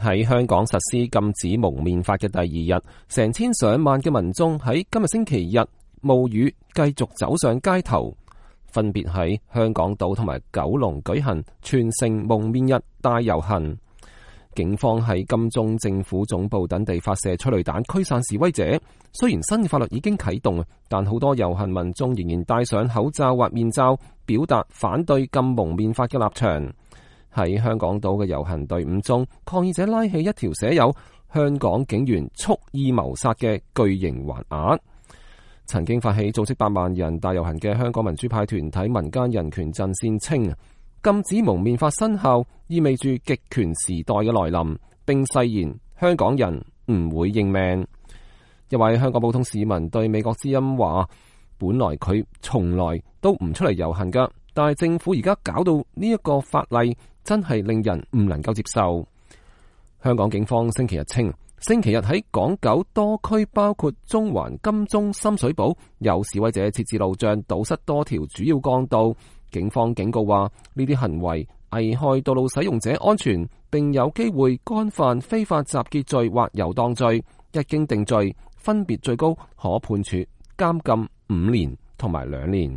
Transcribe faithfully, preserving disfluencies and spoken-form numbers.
喺香港實施禁止蒙面法嘅第二日，成千上萬嘅民眾喺今日星期日冒雨繼續走上街頭，分別喺香港島同埋九龍舉行全城蒙面日大遊行。警方喺金鐘政府總部等地發射催淚彈驅散示威者。雖然新法律已經啟動，但好多遊行民眾仍然戴上口罩或面罩，表達反對禁蒙面法嘅立場。喺香港島嘅遊行隊伍中，抗議者拉起一條寫有香港警員蓄意謀殺嘅巨型橫額。曾經發起組織百萬人大遊行嘅香港民主派團體民間人權陣線稱，禁止蒙面法生效意味住極權時代嘅來臨，並誓言香港人唔會認命。一位香港普通市民對美國之音話，本來佢從來都唔出嚟遊行噶，但係政府而家搞到呢一個法例，真係令人唔能夠接受。香港警方星期日稱，星期日喺港九多區，包括中環、金鐘、深水埗，有示威者設置路障，堵塞多條主要幹道。警方警告話，呢啲行為危害道路使用者安全，並有機會干犯非法集結罪或遊蕩罪。一經定罪，分別最高可判處監禁五年同埋兩年。